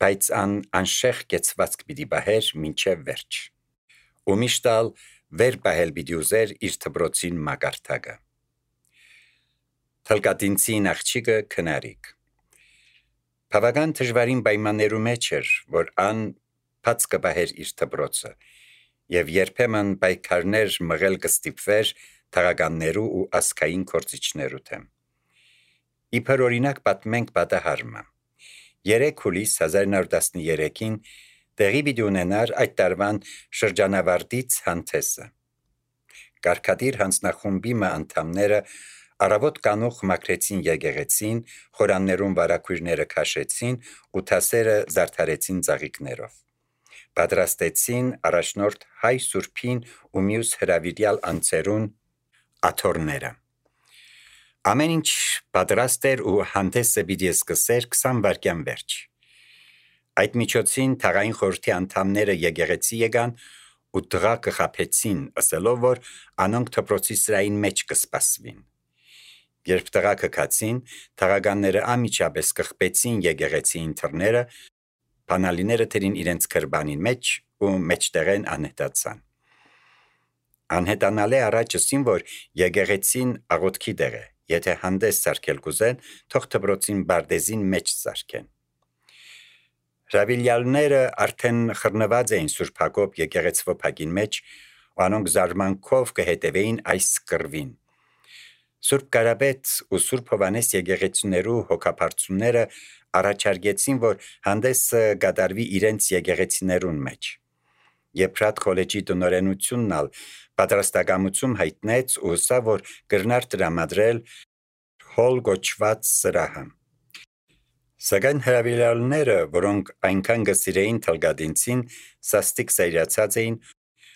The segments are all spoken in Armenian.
բայց անշեղ կեցվածք պիտի բահեր մինչև վերջ։ Ու միշտալ վեր բահել պիտի ուզեր իր դպրոցին մագարտակը։ Թլկատինցին աղջիկը քնարիկ։ Բավական դժվարին պայմաններու մեջ էր, որ բաց կբահեր իր դպրոցը, եւ երբեմն պայքարներ մղել կստիպվեր թաղականներու ու ասկային կորցիչներու թեմ։ Իբր օրինակ պատմենք պատահարմը։ 3 հուլիս 1913-ին տեղի պիտի ունենար այդ տարվան շրջանավարտից հանդեսը։ Կարգադիր հանձնախումբի անդամները առավոտ կանուխ մաքրեցին եկեղեցին, խորաններուն վարակույրները քաշեցին ու թասերը զարդարեցին ծաղիկներով։ Պատրաստեցին առաջնորդ հայ սուրբին ու մյուս հրավիրյալ անձերուն աթոռները։ Ամեն ինչ պատրաստ էր ու հանդեսը պիտի սկսեր 20 վայրկյան վերջ։ Այդ միջոցին թաղային խորհրդի անդամները եկեղեցի եկան ու տղա կխաբեցին, ասելով, որ անոնք դպրոցի սրային մեջ կսպասվին։ Երբ տղա կքացին, թաղականները անմիջապես կխբեցին եկեղեցի ինթրները, բանալիները թերին իրենց քրբանին մեջ ու մեջտեղեն անհետացան։ Անհետանալե առաջ ասին, որ եկեղեցին աղոթքի տեղ է, եթե հանդես սարքել կուզեն, թող դպրոցին բարդեզին մեջ սարքեն։ Հրավիրյալները արդեն խռնված էին Սուրբ Հակոբ եկեղեցվո փակին մեջ, ու անոնք զարմանքով կհետևեին այս կռվին։ Սուրբ Կարապետ ու Սուրբ Հովանես եկեղեցիներու հոգապարծուները առաջարկեցին, որ հանդեսը կատարվի իրենց եկեղեցիներուն մեջ։ Եփրատ քոլեջի տնօրենությունն ալ պատրաստակամություն հայտնեց ու ասա, որ կրնար տրամադրել հոլ գոչված սրահը։ Սակայն հրավիրյալները, որոնք այնքան գսիրեին թլկատինցին, սաստիկ սայրացած էին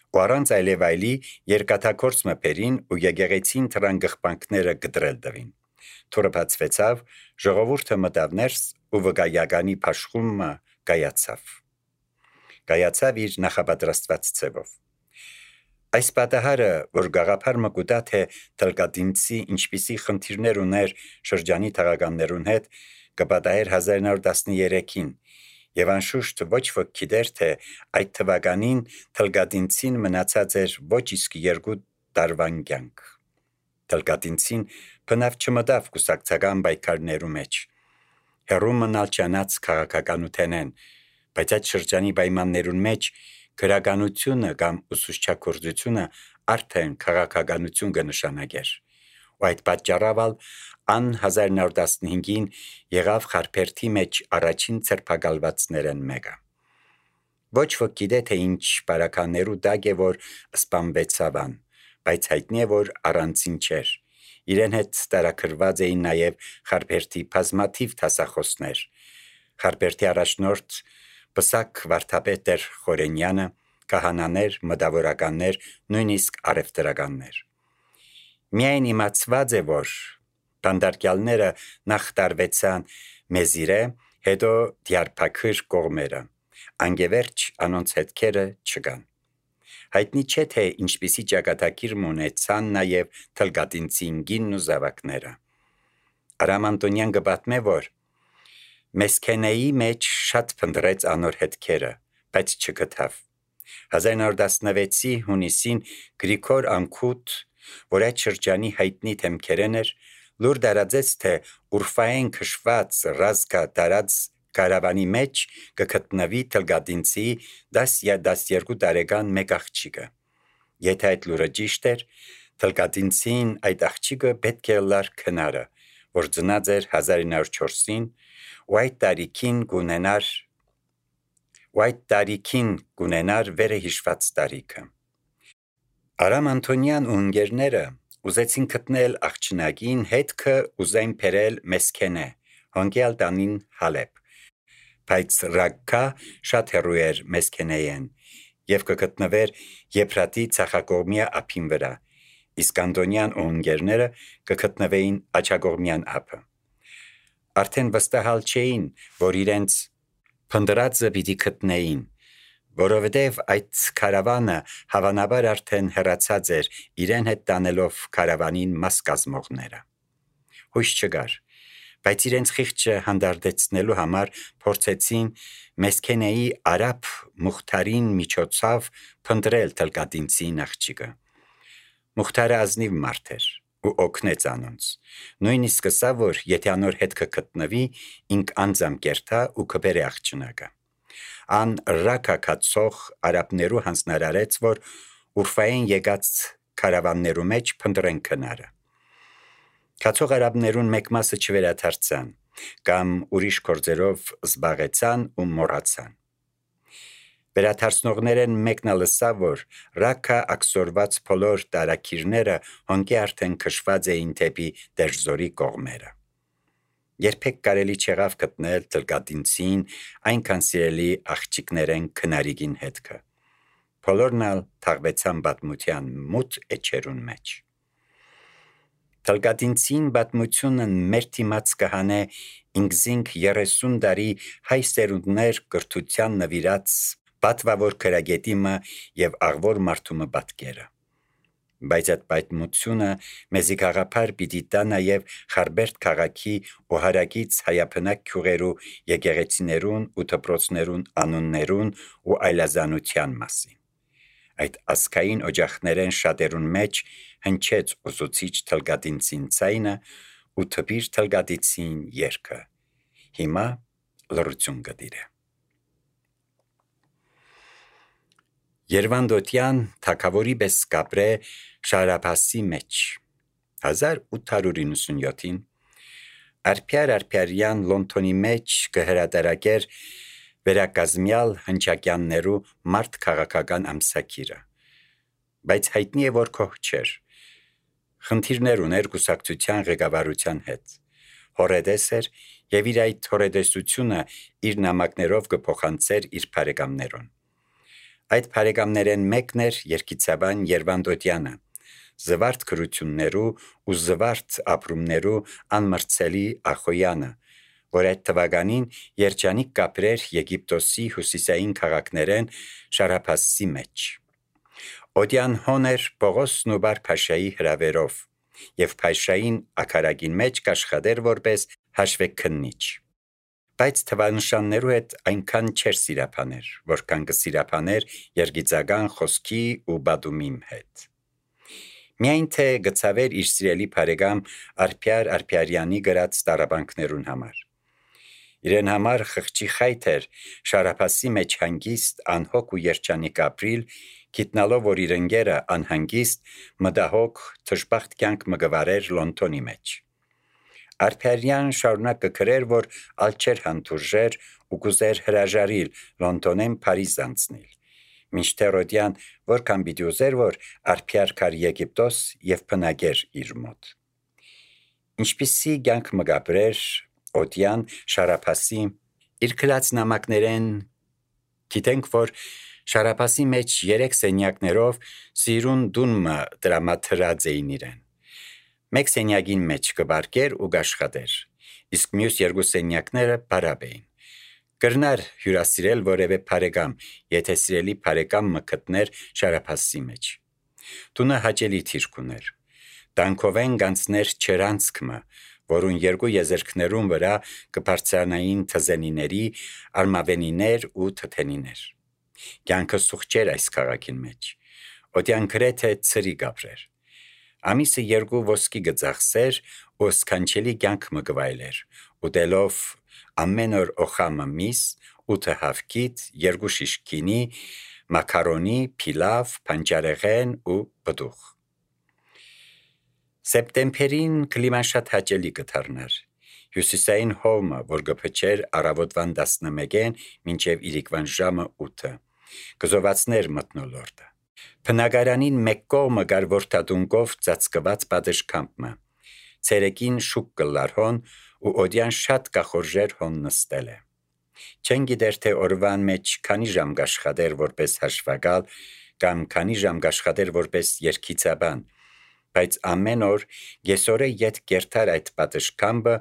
ու առանց այլևայլի երկաթակորց մփերին ու եկեղեցին թրան գղբանքները գտրել տվին։ Թուրը բացվեցավ, ժողովուրդը մտավ ներս ու վկայականի փաշխումը կայացավ իր նախապատրաստված ձևով։ Այս պատահարը, որ գաղափար մկուտա, թե թլկատինցի ինչպիսի խնդիրներ ուներ շրջանի թաղականներուն հետ, կպատահեր 1913-ին, եւ անշուշտ ոչ ոք գիտեր, թե այդ թվականին թլկատինցին մնացած էր ոչ իսկ 2 տարվան կյանք։ Թլկատինցին բնավ չմտավ կուսակցական պայքարներու մեջ։ Հեռու մնալ չանաց քաղաքականութենեն, բայց այդ շրջանի պայմաններուն մեջ գրականությունը կամ ուսուցչագործությունը արդեն քաղաքականություն կնշանակեր։ Ու այդ պատճառով 1915-ին եղավ Խարփերթի մեջ առաջին ցերպակալվածներն մեկը։ Ոչ ոք գիտե, թե ինչ բարականերու տակ է, որ սպանվեցավան, բայց հայտնի է, որ առանցին չէր։ Իրեն հետ տարաքրված էին նաև Խարփերթի բազմաթիվ դասախոսներ։ Խարփերթի առաջնորդ Պսակ վարդապետ Խորենյանը, քահանաներ, մտավորականներ, նույնիսկ արևտրականներ։ Միայն իմացված է, որ բանդարկյալները նախ տարվեցան Մեզիրե, հետո Դիարբաքր կողմերը, անգևերջ անոնց հետքերը չկան։ Հայտնի չէ, թե ինչպիսի ճակատագիր ունեցան նաև թլկատինցի ինգինն ու զավակները։ Արամ Անտոնյան կպատմե, որ Մեսքենեի մեջ շատ փնտրեց անոր հետքերը, բայց չգտավ։ 1916-ի հունիսին Գրիգոր Անքութ, որ այդ շրջանի հայտնի թեմքերեն էր, լուր դարածեց, թե Ուրֆայեն քշված ռազկա տարած կարավանի մեջ կգտնվի թլկատինցի 10-12 տարեկան մեկ աղջիկը։ Եթե այդ լուրը ճիշտ էր, թլկատինցին այդ աղջիկը պետք է լար քնարը, որ ծնած էր 1904-ին, ու այդ տարիքին կունենար վերը հիշված տարիքը։ Արամ Անտոնյան ու ընկերները ուզեցին գտնել աղջնակին, հետքը ուզեն բերել Մեսքենե, հոնկյալ տանին Հալեբ, բայց Ռակկա շատ հեռու էր Մեսքենեեն եւ կգտնվեր Եփրատի ցախակողմյա ափին վրա, իսկ Անտոնյան ու ընկերները կգտնվեին աջակողմյան ափը։ Արդեն վստահալ չէին, որ իրենց փնդրածը պիտի գտնեին, որովհետև այդ քարավանը հավանաբար արդեն հեռացած էր իրեն հետ տանելով քարավանին մաս կազմողները։ Հույս չկար, բայց իրենց խիղճը հանդարտեցնելու համար փորձեցին Մեսքենեի արաբ Մուխթարին միջոցով փնտրել Թլկատինցի աղջիկը։ Մուխթարը ազնիվ մարդ էր ու օգնեց անոնց։ Նույնիսկ ասա, որ եթե անոր հետ կգտնվի, ինք անձամ կերտա ու կբերե աղջնակը։ Ան ռակա կացող արաբներու հանձնարարեց, որ Ուրֆային եկած քարավաններու մեջ փնտրեն քնարը։ Կացող արաբներուն մեկ մասը չվերադարձան կամ ուրիշ գործերով զբաղեցան ու մոռացան։ Վերադարձնողներեն մեկն լսավ, որ ռակա ակսորված բոլոր տարակիրները հոնքի արդեն քշված էին դեպի Դերձորի կողմերը։ Երբեք կարելի չեղավ գտնել Թլկատինցին այնքան սիրելի աղջիկներեն քնարիգին հետքը։ Բոլորն ալ թաղվեցան պատմության մութ էջերուն մեջ։ Թլկատինցին պատմությունը մեր թիմած կհանե ինքզինք 30 տարի հայ սերունդներ կրթության նվիրած պատվավոր քրագետիմը եւ աղվոր մարդումը պատկերը։ Բայց այդ պատմությունը մեզի գաղափար պիտի տա նաեւ Խարբերդ քաղաքի ու հարակից հայապնակ քյուղերու եկեղեցիներուն ու դպրոցներուն անուններուն ու այլազանության մասին։ Այդ ասկային օջախներեն շատերուն մեջ հնչեց ուսուցիչ Թլկատինցին ցայնը ու թպիր Թլկատինցին երգը։ Հիմա լրություն կդիրե։ Երվանդոտյան թագավորի պես կապրե Շարապասի մեջ 1897-ին Արփյարյան Լոնդոնի մեջ կհրատարակեր վերակազմյալ հնչակյաններու մարդ քաղաքական ամսակիրը, բայց հայտնի է, որ քոհ չէր։ Խնդիրներ ուներ կուսակցության ղեկավարության հետ։ Հորեդես էր եւ իր այդ հորեդեսությունը իր նամակներով կփոխանցեր իր բարեկամներուն։ Այդ բարեկամներեն մեկն էր երգիծաբան Երվանդոտյանը, զվարթ գրություններու ու զվարթ ապրումներու անմրցելի Ախոյանը, որ այդ թվականին երջանիկ կապրեր Եգիպտոսի հյուսիսային քաղաքներեն Շարապասի մեջ։ Օդյան հոներ Պողոսն ու Բար Փաշայի հրավերով եւ Փաշային ակարագին մեջ կաշխատեր որպես հաշվեկնիչ։ Բայց թվանշաններու հետ այնքան չէր սիրապաներ, որքան կսիրապաներ երգիծական խոսքի ու բադումիմ հետ։ Միայն թե գծավեր իր սիրելի բարեկամ Արփյարյանի գրած տարաբանքներուն համար։ Իրեն համար խղճի խայթ էր Շարապասի մեջ հանգիստ անհոգ ու երջանիկ ապրիլ, գիտնալով, որ իր ընկերը անհանգիստ մտահոգ թշբախտ կյանք մգվարեր Լոնդոնի մեջ։ Արփյարյան շարունակ կգրեր, որ ալչեր հանդուրժեր ու կուզեր հրաժարիլ Լոնդոնեն Փարիզ անցնել։ Մինչդեռ Օդյան որքան պիտի ուզեր, որ Արփյար կար Եգիպտոս եւ բնագեր իր մոտ։ Ինչպիսի կյանք մգաբրեր Օդյան Շարապասի իր գրած նամակներեն գիտենք, որ Շարապասի մեջ 3 սենյակներով սիրուն դունմը դրամաթրած էին իրեն։ Մեկ սենյակին մեջ կբարկեր ու կաշխատեր, իսկ մյուս 2 սենյակները բարապ էին։ Կրնար հյուրասիրել որևէ բարեկամ, եթե սիրելի բարեկամը գտներ Շարապասի մեջ։ Տունը հաճելի թիրք ուներ։ Տանքովեն գանցներ չերանցքմը, որուն 2 եզերքներուն վրա կբարձրանային թզենիների, արմավենիներ ու թթենիներ։ Կյանքը սուղջեր այս քաղաքին մեջ։ Օդյան գրեթե ծրի գաբրեր։ Ամիսը 2 ոսկի գծախսեր ու սքանչելի կյանք մգվայլեր, ուտելով ամեն օր օխամը միս, 8 հավքիթ, 2 շիշ գինի, մակարոնի, փիլավ, պանջարեղեն ու բդուղ։ Սեպտեմբերին կլիման շատ հաճելի կդառնար։ Հյուսիսային հովմը, որ գփչեր առավոտվան 11-ին մինչև իրիկվան ժամը 8, կզովացներ մթնոլորտը։ Բնակարանին մեկ կողմը կար որդադունկով ծածկված պատշգամբը։ Ցերեկին շուկ կլար հոն ու Օդյան շատ կախորժեր հոն նստել է։ Չեն գիտեր թե օրվան մեջ քանի ժամ կաշխատեր որպես հաշվակալ կամ քանի ժամ կաշխատեր որպես երգիծաբան, բայց ամեն օր գեսորե ետ կերտար այդ պատշգամբը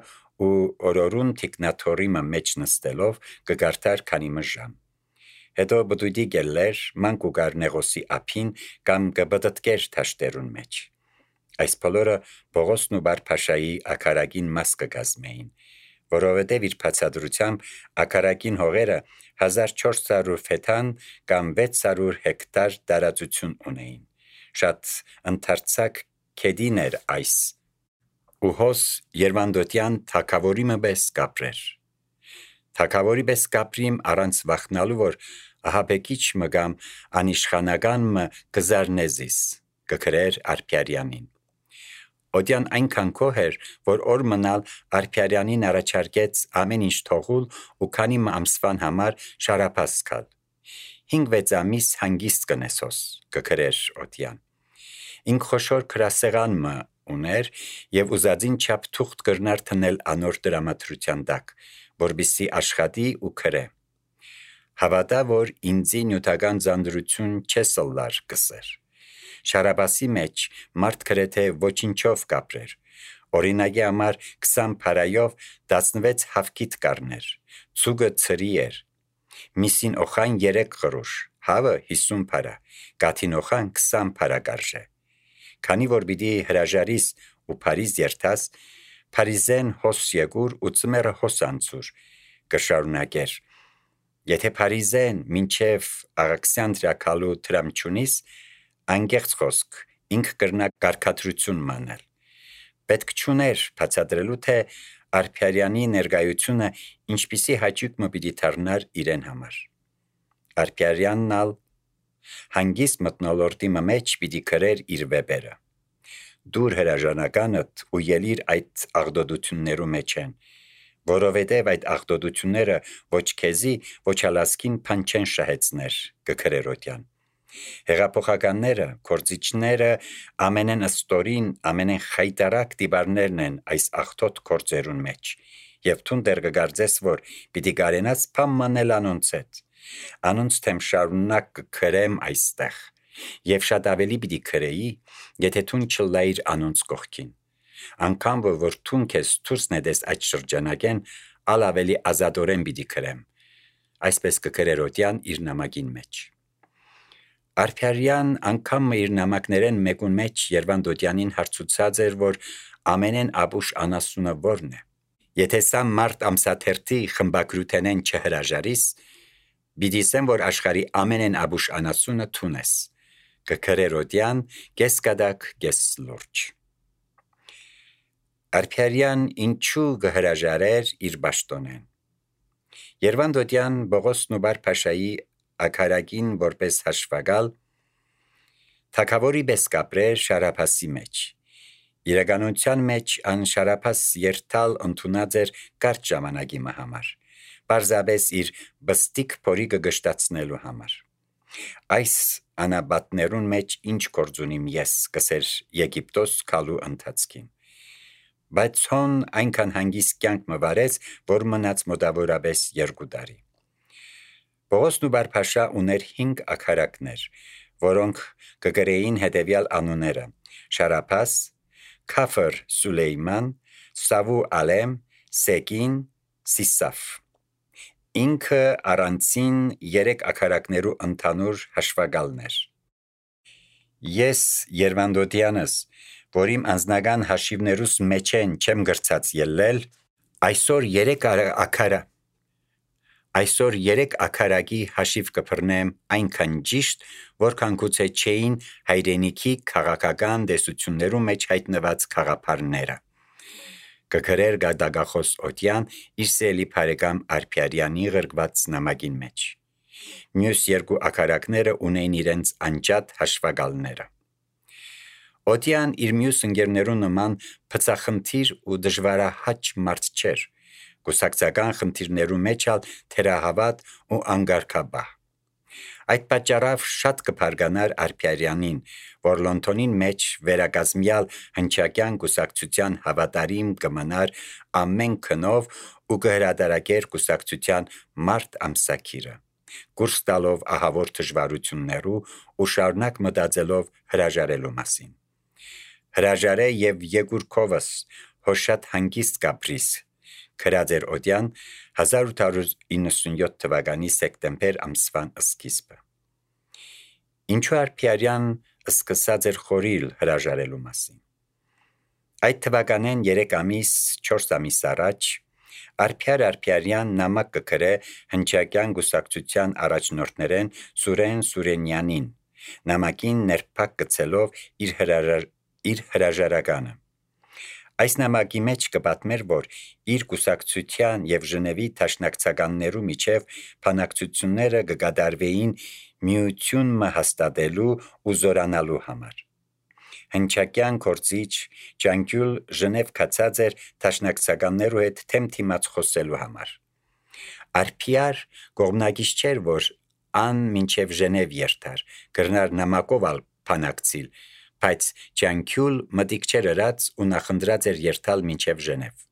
ու օրորուն թիկնաթորիմը մեջ նստելով կգարտար քանի ժամ։ Հետո բդուդի գելլեր, մանկ ու գար նեղոսի ափին կամ կբդտկեր թաշտերուն մեջ։ Այս բոլորը Պողոսն ու Բար Փաշայի ակարագին մաս կգազմեին, որովհետև իր բացատրությամբ ակարակին հողերը 1400 ֆեթան կամ 600 հեկտար տարածություն ունեին։ Շատ ընդարձակ քեդին էր այս, ու հոս Երվանդոտյան թագավորի մպես կապրեր։ Թագավորի պես կապրիմ առանց վախնալու, որ ահաբեկիչ մգամ անիշխանական մը կզարնեզիս, կգրեր Արփիարյանին։ Օդյան այնքան գոհ էր, որ օր մնալ Արփիարյանին առաջարկեց ամեն ինչ թողուլ ու քանի ամսվան համար շարապաս գալ։ 5-6 ամիս հանգիստ կնեսոս, կգրեր Օդյան։ Ինք խոշոր գրասեղան մը ուներ եւ ուզածին չափ թուղթ կրնար թնել անոր դրամատրության տակ, որբիսի աշխատի ու գրե։ Հավատա, որ ինձի նյութական զանդրություն չեսլար կսեր։ Շարաբասի մեջ մարդ գրեթե ոչինչով կապրեր։ Օրինակի համար 20 փարայով 16 հավքիտ կառներ, ցուգը ծրի էր, միսին օխան 3 գրուշ, հավը 50 փարա, կաթին օխան 20 փարա կարժե։ Քանի որ պիտի հրաժարիս ու Փարիզ երթաս, Փարիզեն հոս եկուր ու ծմերը հոս անցուր, կշարունակեր։ Եթե Փարիզեն մինչև Աղաքսանդրիա քալու տրամչունիս, անգեղծ խոսք, ինք կրնա կարգադրություն մանել։ Պետք չուներ բացատրելու, թե Արփիարյանի ներկայությունը ինչպիսի հաճույք մը պիտի դառնար իրեն համար։ Արփիարյանն ալ հանգիստ մթնոլորտի մեջ պիտի գրեր իր վեպերը։ Դուր հրաժանականդ ու ելիր այդ աղդոդություններու մեջ են, որովհետև այդ աղդոդությունները ոչ քեզի, ոչ ալասկին փան չեն շահեցներ, կգրեր Օդյան։ Հեղափոխականները, կորձիչները ամենեն ըստորին, ամենեն խայտարակ դիբարներն են այս աղտոտ կորձերուն մեջ, եւ թուն դեր կգարձես, որ պիտի կարենաս փամմանել անոնց հետ։ Անոնց թեմ շարունակ կգրեմ այստեղ, եւ շատ ավելի պիտի գրեի, եթե թուն չլայիր անոնց կողքին։ Անկամ որ թուն քեզ դուրս նետես այդ շրջանակեն, ալ ավելի ազատորեն պիտի գրեմ։ Այսպես կգրեր Օդյան իր նամակին մեջ։ Արփիարյան անգամ իր նամակներեն մեկուն մեջ Երվանդոտյանին հարցուցած էր, որ ամենեն ապուշ անասունը որն է։ Եթե սա մարդ ամսաթերթի խմբագրութենեն չհրաժարիս, բիդիսեմ, որ աշխարի ամենեն ապուշ անասունը թունես, կգրեր Օդյան կես կադակ, կես լուրջ։ Արփիարյան ինչու կհրաժարեր իր պաշտոնեն։ Երվանդոտյան Բողոս Նուբար Փաշայի ակարակին որպես հաշվագալ թագավորի պես կապրեր Շարափասի մեջ։ Իրականության մեջ ան Շարափաս երթալ ընդունած էր կարճ ժամանակի համար, պարզապես իր բստիկ փորիկը գշտացնելու համար։ Այս անաբատներուն մեջ ինչ գործ ունիմ ես, կսեր Եգիպտոս քալու ընթացքին։ Բայց հոն այնքան հանգիստ կյանք մը վարեց, որ մնաց մոտավորապես 2 տարի։ Բողոս Նուբար Փաշա ուներ 5 ակարակներ, որոնք կգրեին հետևյալ անունները՝ Շարափաս, Քաֆր Սուլեյման, Սավու Ալեմ, Սեկին, Սիսաֆ։ Ինքը առանցին 3 ակարակներու ընդհանուր հաշվագալն էր։ Ես Երվանդոտյանս, որ իմ անձնական հաշիվներուս մեջ են չեմ գրծած ելել, այսօր 3 ակարակի հաշիվ կփռնեմ այնքան ճիշտ, որքան գուցե չէին հայրենիքի քաղաքական տեսություններու մեջ հայտնված քաղաքարները։ Կգրեր գադագախոս Օդյան իր սելի բարեկամ Արփիարյանի գրգված նամակին մեջ։ Մյուս 2 ակարակները ունեին իրենց անջատ հաշվագալները։ Օդյան իր մյուս ընկերներու նման փծախնդիր ու դժվարահաճ մարդ չէր, կուսակցական խնդիրներու մեջ ալ թերահավատ ու անգարկաբահ։ Այդ պատճառով շատ կփարգանար Արփիարյանին, որ Լոնդոնին մեջ վերակազմյալ հնչակյան կուսակցության հավատարիմ կմնար ամեն քնով ու կհրադարակեր կուսակցության մարդ ամսակիրը, կուրս տալով ահավոր դժվարություններու ու շարունակ մտածելով հրաժարելու մասին։ Հրաժարե եւ Եգուրքովս հոշատ հանգիստ կապրիս, գրած էր Օդյան 1897 թվականի սեպտեմբեր ամսվան սկիզբը։ Ինչու Արփիարյան սկսած էր խորիլ հրաժարելու մասին։ Այդ թվականեն 3 ամիս, 4 ամիս առաջ Արփյար նամակ կգրե հնչակյան գուսակցության առաջնորդներեն Սուրեն Սուրենյանին, նամակին ներփակ գցելով իր հրաժարականը։ Այս նամակի մեջ կպատմեր, որ իր գուսակցության եւ Ժնևի դաշնակցականներու միջև բանակցությունները կգադարվեին միությունը հաստատելու ու զորանալու համար։ Հնչակյան կորցիչ Ջանկյուլ Ժնև կացած էր դաշնակցականներու հետ թեմ թիմած խոսելու համար։ Արփյար կողմնակից չէր, որ ան մինչև Ժնև երթար, գրնար նամակով ալ բանակցիլ, բայց Ջանկյուլ մտիկ չէր ըրած ու նախընտրած էր երթալ մինչև Ժնև։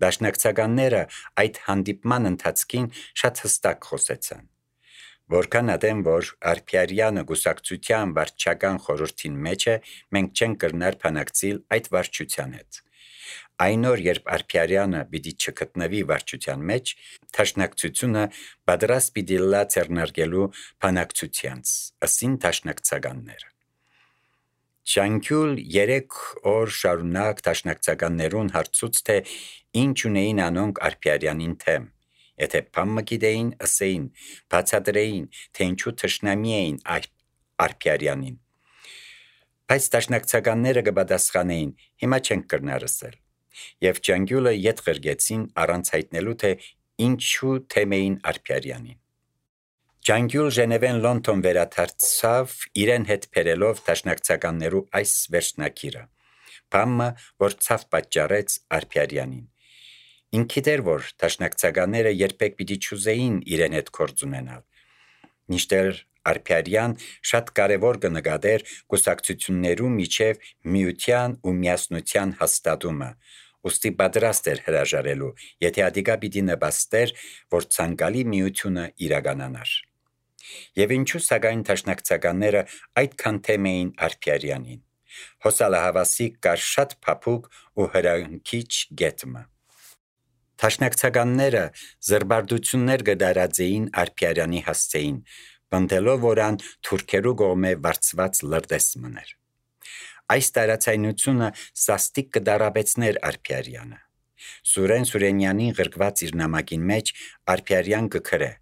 Դաշնակցականները այդ հանդիպման ընթացքին շատ հստակ խոսեցան։ Որքան ադեմ, որ Արփյարյանը գուսակցության վարչական խորհրդին մեջ է, մենք չենք կրնար բանակցիլ այդ վարչության հետ։ Այն օր, երբ Արփյարյանը պիտի չգտնվի վարչության մեջ, դաշնակցությունը պատրաստ պիտի լա ձեռնարկելու բանակցությանց, ըսին դաշնակցականները։ Ջանկյուլ 3 օր շարունակ դաշնակցականներուն հարցուց, թե ինչ ունեին անոնք Արփյարյանին թեմ։ Եթե բամը գիտեին, ըսեին, բացատրեին, թե ինչու թշնամի էին Արփյարյանին։ Բայց դաշնակցականները կպատասխանեին, հիմա չենք կրնար ըսել։ Եվ Ջանկյուլը ետ ղրգեցին առանց հայտնելու, թե ինչու թեմ էին Արփյարյանին։ Ջանկյուլ Ժնևեն Լոնդոն վերադարձավ, իրեն հետ բերելով դաշնակցականներու այս վերջնակիրը, բամը, որ ցավ պատճառեց Արփյարյանին։ Ինքիդ էր, որ դաշնակցականները երբեք պիտի չուզեին իրեն հետ գործ ունենալ։ Մինչդեռ Արփյարյան շատ կարևոր կնկատեր կուսակցություններու միջև միության ու միասնության հաստատումը, ուստի պատրաստ էր հրաժարելու, եթե ադիկա պիտի նպաստեր, որ ցանկալի միությունը իրականանար։ Եվ ինչու սակայն դաշնակցականները այդքան թեմ էին Արփյարյանին։ Հոսալահավասի կար շատ փափուկ ու հրանքիչ գետմը։ Դաշնակցականները զրբարդություններ կդարածեին Արփյարյանի հասցեին, բնդելով, որ ան թուրքերու կողմէ վարձված լրտես մներ։ Այս տարածայնությունը սաստիկ կդարաբեցներ Արփյարյանը։ Սուրեն Սուրենյանին ղրկված իր նամակին մեջ Արփյարյան կգրե.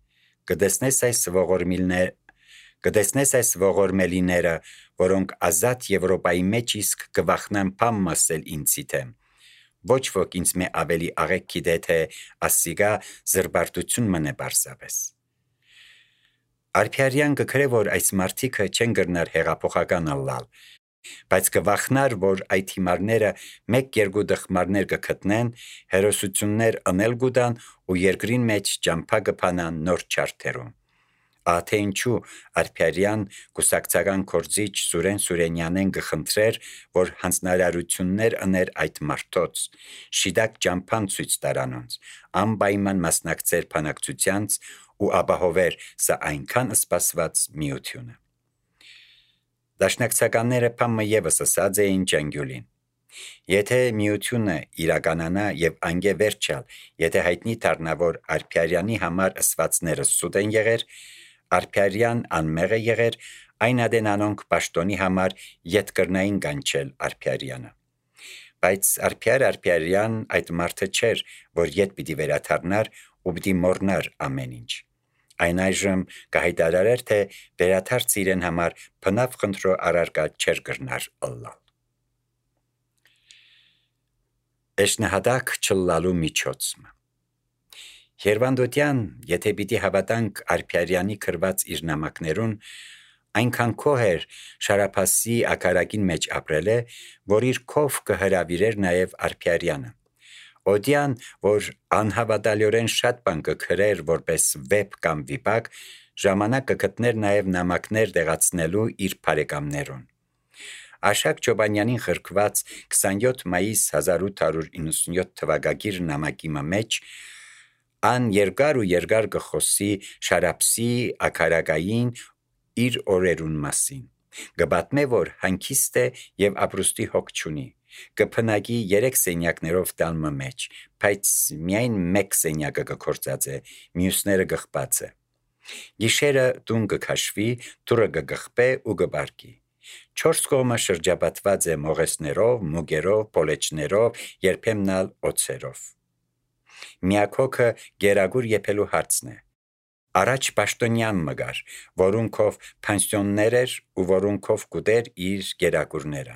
Կտեսնես այս ողորմելիները, որոնք ազատ Եվրոպայի մեջ իսկ կվախնան բամ մասել ինձի թեմ։ Ոչ ոք ինձ մե ավելի աղեկ գիտե, թե ասիգա զրբարտություն մնե պարզապես։ Արփյարյան կգրե, որ այս մարդիկը չեն գրնար հեղափոխական ըլլալ, բայց կվախնար, որ այդ հիմարները 1-2 դխմարներ կգտնեն, հերոսություններ ընել գուտան ու երկրին մեջ ճամփա կփանան նոր չարթերում։ Ահա ինչու Արփյարյան կուսակցական կորձիչ Սուրեն Սուրենյանեն կխնդրեր, որ հանձնարարություններ ըներ այդ մարդոց, շիդակ ճամփան ցույց տարանոնց, անպայման մասնակցեր բանակցությանց ու ապահովեր սա այնքան սպասված միությունը։ Դաշնակցականները բամը եւս ասած էին Ջանկյուլին. Եթե միությունը իրականանա եւ անգե վերջալ, եթե հայտնի դառնա, որ Արփյարյանի համար ըսվածները սուտ են եղեր, Արփյարյան անմեղ է եղեր, այն ադեն անոնք պաշտոնի համար ետ կրնային կանչել Արփյարյանը։ Բայց Արփյարյան այդ մարդը չէր, որ ետ պիտի վերադառնար ու պիտի մոռնար ամեն ինչ։ Այն այժմ կհայտարարեր, թե վերադարձ իրեն համար բնավ խնդրո առարկա չէր կրնար ըլլալ։ Էշնահադակ չլալու միջոցը։ Երվանդոտյան, եթե պիտի հավատանք Արփյարյանի գրված իր նամակներուն, այնքան քոհ էր Շարափասի ակարակին մեջ ապրել է, որ իր քով կհրավիրեր նաև Արփյարյանը։ Օդյան, որ անհավատալիորեն շատ բան կգրեր որպես վեպ կամ վիպակ, ժամանակ կգտներ նաև նամակներ տեղացնելու իր բարեկամներուն։ Աշակ Չոբանյանին գրկված 27 մայիս 1897 թվակագիր նամակի մեջ ան երկար կխոսի Շարափսի ակարակային իր օրերուն մասին։ Կպատմե, որ հանգիստ է եւ ապրուստի հոգ չունի։ Կփնակի 3 սենյակներով տալմը մեջ, բայց միայն 1 սենյակը կգործած է, մյուսները գխված է։ Գիշերը տուն կքաշվի, դուռը կգխպե ու կբարկի։ 4 կողմը շրջապատված է մողեսներով, մուգերով, պոլեչներով, երբեմն ալ օձերով։ Միակոքը գերագուր եփելու հարցն է։ Առաջ պաշտոնյան մգար, որունքով փանսիոններ էր ու որունքով կուտեր իր գերագուրները։